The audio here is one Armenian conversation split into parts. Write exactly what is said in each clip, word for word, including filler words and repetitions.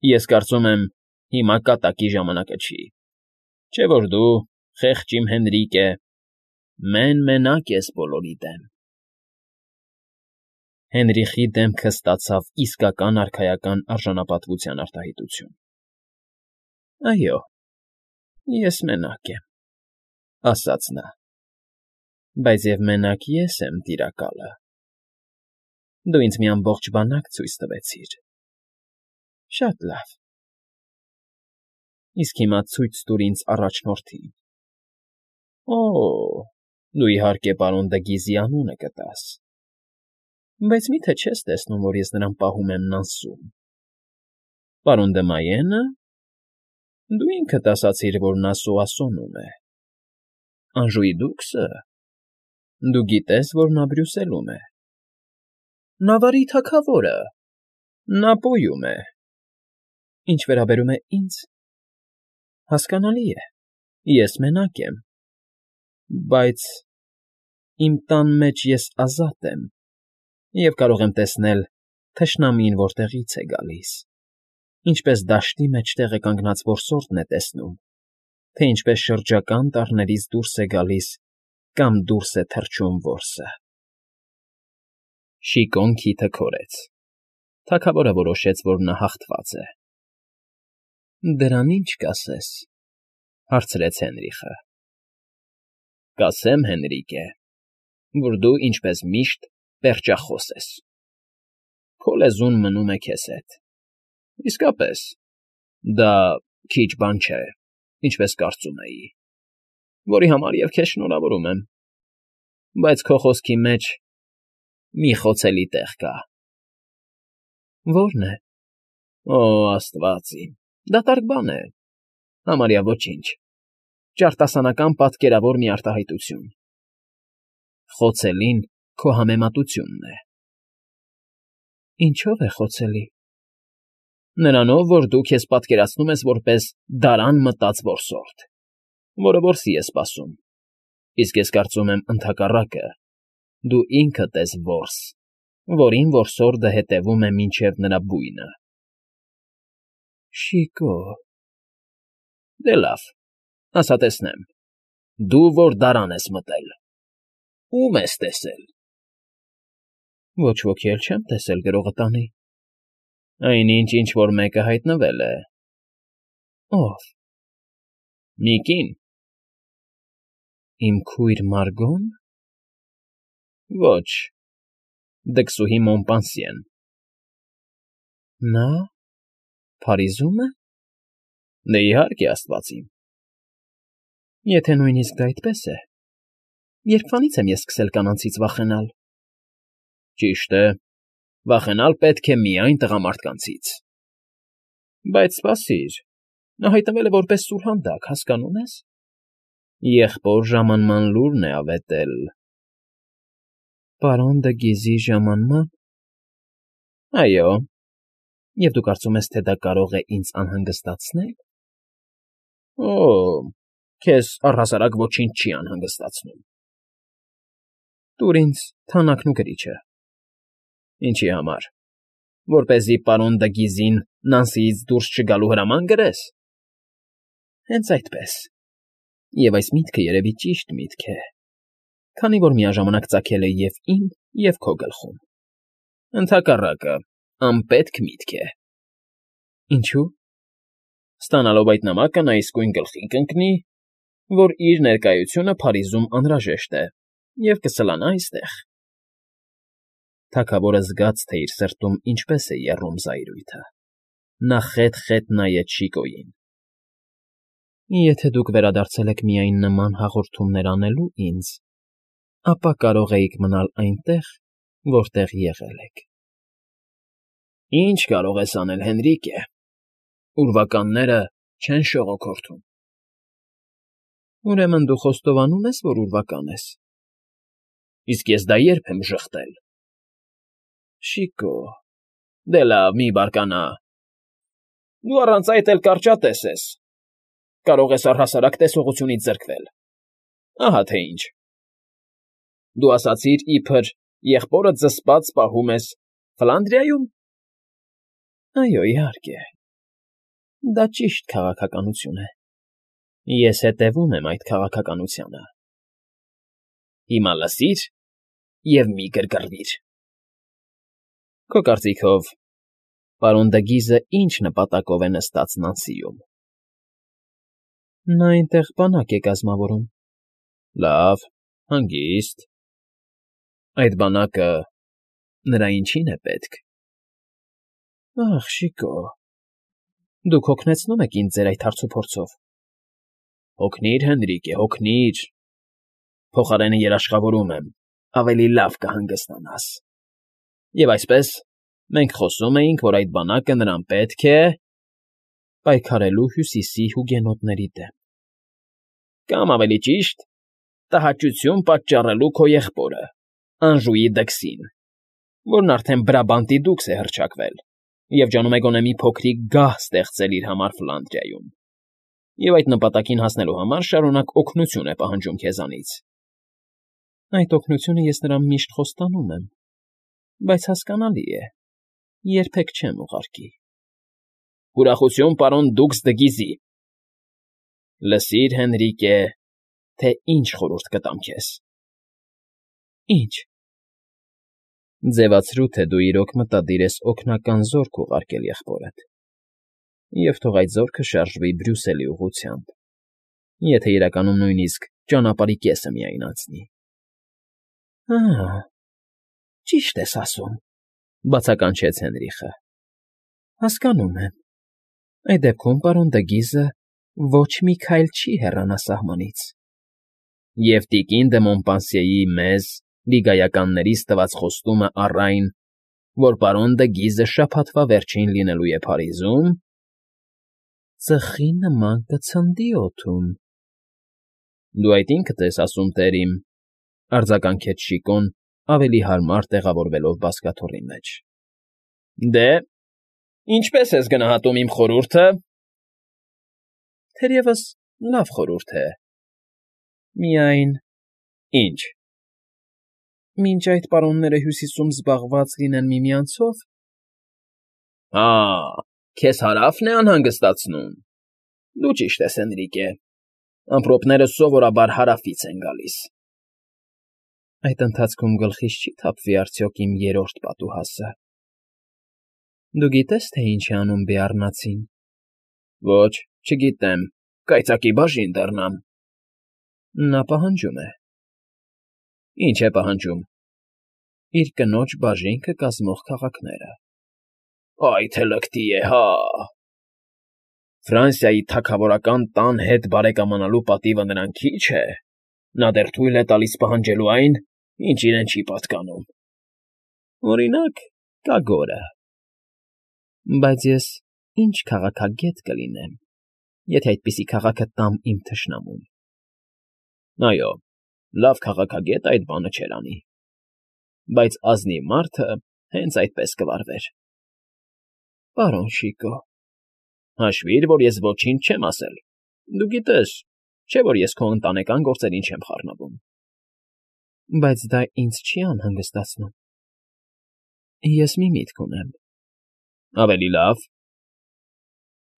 Ես կարծում եմ, հիմա կատակի ժամանակը չի, չէ՞ որ դու, խեղճ իմ Հենրիկե, մեն֊մենակ ես բոլորի դեմ… Հենրիխի դեմքը ստացավ իսկական արքայական արժանապատվության արտահայտություն։ ֊ Այո, ես մենակ եմ,֊ ասաց նա,֊ բայց և մենակ ես եմ, Տիրակալը… Դու ինձ մի ամբողջ բանակ ցույց տվեցիր… Շատ լավ… Իսկ հիմա ցույց տուր ինձ առաջնորդին… Օ՜, դու, իհարկե, պարոն Դգիզի անունը կտաս… Բայց մի՞թե չես տեսնում, որ ես նրան պահում եմ Նանսում… Պարոն Դմայենը… Դու ինքդ ասացիր, որ նա սոասոնում է… Անժուիդուքսը… Դու գիտես, որ նա Բրյուսելում է… Նավարի թագավորը… Նա Պոյում է… Ինչ վերաբերում է ինձ… Հասկանալի է, ես մենակ եմ… Բայց… իմ տան մեջ ես ազատ եմ և կարող եմ տեսնել թշնամին որտեղից է գալիս, ինչպես դաշտի մեջտեղը կանգնած որսորդն է տեսնում, թե ինչպես շրջակա անտառներից դուրս է գալիս կամ դուրս է թռչում որսը… Շիկոն քիթը քորեց. թագավորը որոշեց, որ նա հաղթված է։ ֊ Դրան ի՞նչ կասես,֊ հարցրեց Հենրիխը։ ֊ Կասեմ, Հենրիկե, որ դու, ինչպես միշտ, պերճախոս ես… Քո լեզուն մնում է քեզ հետ… Իսկապես, դա քիչ բան չէ, ինչպես կարծում էի, որի համար և քեզ շնորհավորում եմ… Բայց քո խոսքի մեջ մի խոցելի տեղ կա… ֊ Ո՞րն է։ ֊ Օ, աստված իմ, դատարկ բան է… Համարյա ոչինչ… Ճարտասանական պատկերավոր մի արտահայտություն… Խոցելին քո համեմատությունն է… ֊ Ինչո՞վ է խոցելի։ ֊ Նրանով, որ դու քեզ պատկերացնում ես որպես դարան մտած որսորդ, որը որսի է սպասում, իսկ ես կարծում եմ, ընդհակառակը, դու ինքդ ես որս, որին որսորդը հետևում է մինչև նրա բույնը… ֊ Շիկո… Դե լավ, ասա տեսնեմ, դու որ դարան ես մտել, ո՞ւմ ես տեսել։ ֊ Ոչ ոքի էլ չեմ տեսել գրողը տանի… ֊ Այնինչ, ինչ֊որ մեկը հայտնվել է… ֊ Ո՞վ։ ֊ Մի կին… ֊ Իմ քույր Մարգո՞ն։ ֊ Ոչ… Դքսուհի Մոմպանսիեն… ֊ Նա… Փարիզո՞ւմ է։ ֊ Դե, իհարկե, աստված իմ… ֊ Եթե նույնիսկ դա այդպես է, երբվանի՞ց եմ ես սկսել կանանցից վախենալ։ ֊ Ճիշտ է, վախենալ պետք է միայն տղամարդկանցից… Բայց սպասիր, նա հայտնվել է որպես սուրհանդակ, հասկանո՞ւմ ես։ Եղբոր ժամանման լուրն է ավետել… ֊ Պարոն Դգիզի ժամանմա՞ն։ ֊ Այո։ Եվ դու կարծում ես, թե դա կարող է ինձ անհանգստացնե՞լ։ ֊ Օ՜, քեզ առհասարակ ոչինչ չի անհանգստացնում… ֊ Տուր ինձ թանաքն ու գրիչը։ ֊ Ինչի համար, որպեսզի պարոն Դգիզին Նանսիից դուրս չգալու հրաման գրես։ ֊ Հենց այդպես… Եվ այս միտքը երևի ճիշտ միտք է, քանի որ միաժամանակ ծագել է և՛ իմ, և՛ քո գլխում։ ֊ Ընդհակառակը, անպետք միտք է։ ֊ Ինչո՞ւ։ ֊ Ստանալով այդ նամակը նա իսկույն գլխի կընկնի, որ իր ներկայությունը Փարիզում անհրաժեշտ է և կսլանա այստեղ… Թագավորը զգաց, թե իր սրտում ինչպես է եռում զայրույթը, նա խետ֊խետ նայեց Շիկոյին։ ֊ Եթե դուք վերադարձել եք միայն նման հաղորդումներ անելու ինձ, ապա կարող էիք մնալ այնտեղ, որտեղ եղել եք… ֊ Ի՞նչ կարող ես անել, Հենրիկե… Ուրվականները չեն շողոքորթում… ֊ Ուրեմն դու խոստովանում ես, որ ուրվական ես։ ֊ Իսկ ես դա ե՞րբ եմ ժխտել։ ֊ Շիկո… Դե լավ, մի բարկանա… Դու առանց այդ էլ կարճատես ես… Կարող ես առհասարակ տեսողությունից զրկվել… Ահա թե ինչ… Դու ասացիր, իբր եղբորդ զսպած պահում ես Ֆլանդրիայում… ֊ Այո, իհարկե։ Դա ճիշտ քաղաքականություն է։ Ես հետևում եմ այդ քաղաքականությանը։ Հիմա լսիր և մի գրգռվիր։ Քո կարծիքով, պարոն Դգիզը ինչ նպատակով է նստած Նանսիում։ Նա այնտեղ բանակ է կազմավորում։ Լավ, հանգիստ։ Այդ բանակը նրա ինչի՞ն է պետք։ Ախ, շիկո, դուք հոգնեցնում եք ինձ ձեր այդ հարցուփորձով։ Հոգնիր, Հենրիկե, հոգնիր, փոխարենը երաշխավորում եմ, ավելի լավ կհանգստանաս։ Եվ այսպես, մենք խոսում էինք, որ այդ բանակը նրան պետք է… պայքարելու Հյուսիսի հուգենոտների դեմ։ Կամ ավելի ճիշտ, տհաճություն պատճառելու քո եղբորը, Անժուի Դքսին, որն արդեն Բրաբանտի դուքս է հռչակվել և ջանում է գոնե մի փոքրիկ գահ ստեղծել իր համար Ֆլանդրիայում, և այդ նպատակին հասնելու համար շարունակ օգնություն է պահանջում քեզանից։ Այդ օգնությունը ես նրան միշտ խոստանում եմ, բայց հասկանալի է, երբեք չեմ ուղարկի։ Ուրախություն պարոն Դուքս Դգիզի։ Լսիր, Հենրիկե, թե ինչ խորհուրդ կտամ քեզ։ Ինչ։ Ձևացրու, թե դու իրոք մտադիր ես օգնական զորք ուղարկել եղբորդ, և թող այդ զորքը շարժվի Բրյուսելի ուղղությամբ, եթե իրականում նույնիսկ ճանապարհի կեսը միայն անցնի։ Ահա, ճիշտ ես ասում,֊ բացականչեց Հենրիխը։ Հասկանում եմ։ Այդ դեպքում պարոն Դգիզը ոչ մի քայլ չի հեռանա սահմանից։ Եվ տիկին դը Մոնպանսիեի մեզ, լիգայականներիս տված խոստումը առ այն, որ պարոն Դգիզը շաբաթվա վերջին լինելու է Փարիզում… Ծխի նման կցնդի օդում։ Դու այդ ինքդ ես ասում, տերիմ,֊ արձագանքեց Շիկոն, ավելի հարմար տեղավորվելով բազկաթոռի մեջ։ Դե, ինչպե՞ս ես գնահատում իմ խորհուրդը։ Թերևս լավ խորհուրդ է։ Միայն… Ինչ։ Մինչ այդ պարոնները Հյուսիսում զբաղված լինեն միմյանցով… Հա, քեզ Հարավն է անհանգստացնում։ Դու ճիշտ ես, Հենրիկե, ամպրոպները սովորաբար Հարավից են գալիս։ Այդ ընթացքում գլխիս չի՞ թափվի արդյոք իմ երրորդ պատուհասը։ Դու գիտե՞ս, թե ինչ է անում Բեառնացին։ Ոչ, չգիտեմ, կայծակի բաժին դառնամ։ Նա պահանջում է։ Ինչ է պահանջում։ Իր կնոջ բաժինքը կազմող քաղաքները։ Այ թե լկտի է, հա… Ֆրանսիայի թագավորական տան հետ բարեկամանալու պատիվը նրան քիչ է։ Նա դեռ թույլ է տալիս պահանջելու այն, ինչ իրեն չի պատկանում։ Օրինակ, կագորը։ Բայց ես ինչ քաղաքագետ կլինեմ, եթե այդպիսի քաղաքը տամ իմ թշնամուն։ Այո, լավ քաղաքագետ այդ բանը չէր անի։ Բայց ազնիվ մարդը հենց այդպես կվարվեր։ Պարոն Շիկո… Հաշվիր, որ ես ոչինչ չեմ ասել։ Դու գիտես, չէ՞ որ ես քո ընտանեկան գործերին չեմ խառնվում։ Բայց դա ինձ չի անհանգստացնում։ Ես մի միտք ունեմ։ Ավելի լավ։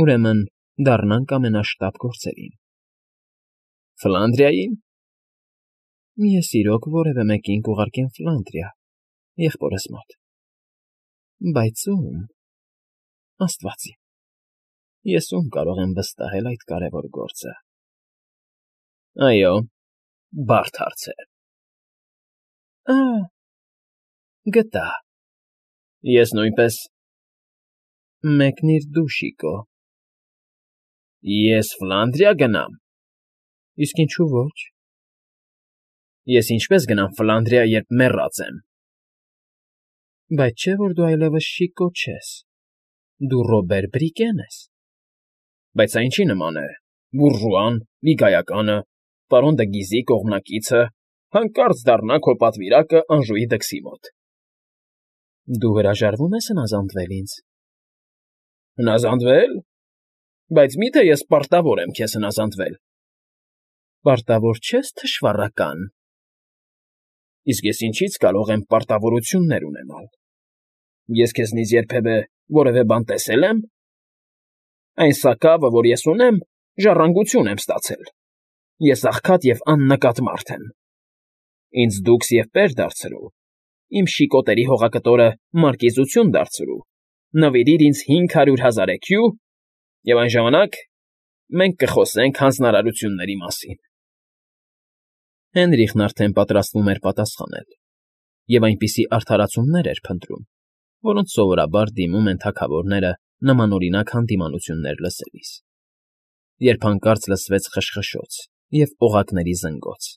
Ուրեմն դառնանք ամենաշտապ գործերին։ Ֆլանդրիայի՞ն։ Ես իրոք որևէ մեկին կուղարկեմ Ֆլանդրիա, եղբորս մոտ։ Բայց ո՞ւմ… Աստված իմ… Ես ո՞ւմ կարող եմ վստահել այդ կարևոր գործը։ Այո, բարդ հարց է։ Ա՜, գտա։ Ես նույնպես… Մեկնիր դու, Շիկո։ Ես Ֆլանդրիա գնամ։ Իսկ ինչու ոչ։ Ես ինչպես գնամ Ֆլանդրիա, երբ մեռած եմ։ Բայց չէ՞ որ դու այլևս Շիկո չես, դու Ռոբեր Բրիկեն ես։ Բայց սա ինչի նման է… բուրժուան, լիգայականը, պարոն Դգիզի կողմնակիցը հանկարծ դառնա քո պատվիրակը Անժուի Դքսի մոտ։ Դու հրաժարվում ես հնազանդվել ինձ։ Հնազանդվե՞լ… Բայց մի՞թե ես պարտավոր եմ քեզ հնազանդվել։ Պարտավոր չես, թշվառական։ Իսկ ես ինչի՞ց կարող եմ պարտավորություններ ունենալ։ Ես քեզնից երբևէ որևէ բան տեսե՞լ եմ։ Այն սակավը, որ ես ունեմ, ժառանգություն եմ ստացել. ես աղքատ և աննկատ մարդ եմ. ինձ դուքս և պեր դարձրու, իմ շիկոտերի հողակտորը մարկիզություն դարձրու, նվիրիր ինձ հինգ հարյուր հազար էքյու, և այն ժամանակ մենք կխոսենք հանձնարարությունների մասին… Հենրիխն արդեն պատրաստվում էր պատասխանել և այնպիսի արդարացումներ էր փնտրում, որոնց սովորաբար դիմում են թագավորները նմանօրինակ հանդիմանություններ լսելիս, երբ հանկարծ լսվեց խշխշոց և օղակների զնգոց.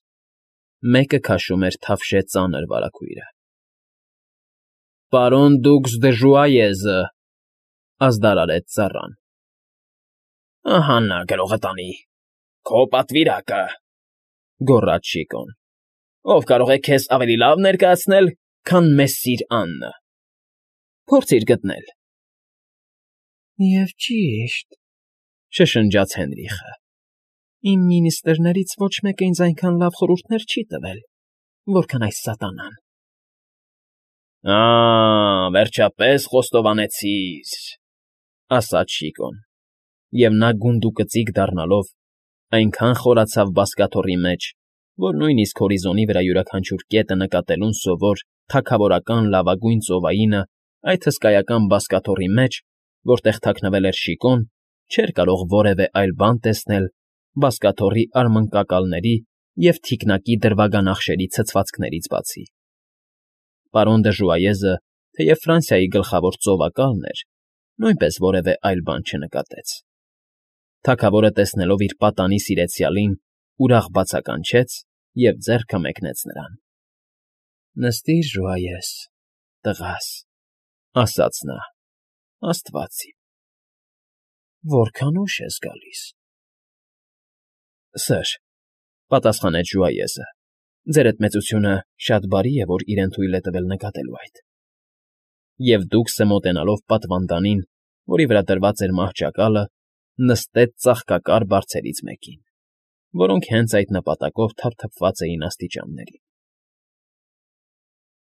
մեկը քաշում էր թավշե ծանր վարագույրը։ ֊ Պարոն դուքս դը Ժուայեզը,֊ ազդարարեց ծառան։ ֊ Ահա նա, գրողը տանի, քո պատվիրակը,֊ գոռաց Շիկոն։ ֊ Ով կարող է քեզ ավելի լավ ներկայացնել, քան Մեսսիր Աննը… Փորձիր գտնել… ֊ Եվ ճիշտ,֊ շշնջաց Հենրիխը,֊ իմ մինիստրներից ոչ մեկը ինձ այնքան լավ խորհուրդներ չի տվել, որքան այս սատանան… ֊ Ա՜, վերջապես խոստովանեցիր,֊ ասաց Շիկոն, և նա գունդուկծիկ դառնալով այնքան խորացավ բազկաթոռի մեջ, որ նույնիսկ հորիզոնի վրա յուրաքանչյուր կետը նկատելուն սովոր թագավորական լավագույն ծովայինը այդ հսկայական բազկաթոռի մեջ, որտեղ թաքնվել էր Շիկոն, չէր կարող որևէ այլ բան տեսնել բազկաթոռի արմնկակալների և թիկնակի դրվագանախշերի ցցվածքներից բացի… Պարոն դը Ժուայեզը, թեև Ֆրանսիայի գլխավոր ծովակալն էր, նույնպես որևէ այլ բան չնկատեց… Թագավորը, տեսնելով իր պատանի սիրեցյալին, ուրախ բացականչեց և ձեռքը մեկնեց նրան։ ֊ Նստիր, Ժուայես, տղաս,֊ ասաց նա,֊ աստված իմ… Որքան ուշ ես գալիս… ֊ Սըր,֊ պատասխանեց Ժուայեզը,֊ ձերդ մեծությունը շատ բարի է, որ իրեն թույլ է տվել նկատելու այդ… Եվ դուքսը, մոտենալով պատվանդանին, որի վրա դրված էր մահճակալը, նստեց ծաղկակար բարձերից մեկին, որոնք հենց այդ նպատակով թափթփված էին աստիճաններին։